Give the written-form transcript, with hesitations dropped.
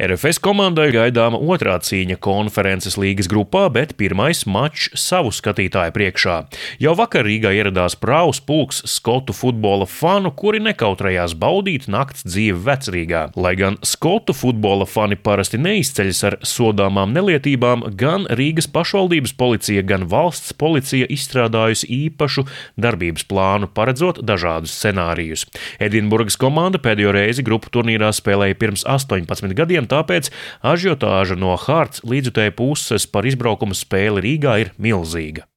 RFS komandai gaidāma otrā cīņa Konferences līgas grupā, bet pirmais mačs savu skatītāju priekšā. Jau vakar Rīgā ieradās prāvs pulks skotu futbola fanu, kuri nekautrējās baudīt nakts dzīvi Vecrīgā. Lai gan skotu futbola fani parasti neizceļas ar sodāmām nelietībām, gan Rīgas pašvaldības policija, gan valsts policija izstrādājusi īpašu darbības plānu, paredzot dažādus scenārijus. Edinburgas komanda pēdējo reizi grupu turnīrā spēlēja pirms 18 gadiem, tāpēc ažiotāža no Hearts līdzjutēju puses par izbraukuma spēli Rīgā ir milzīga.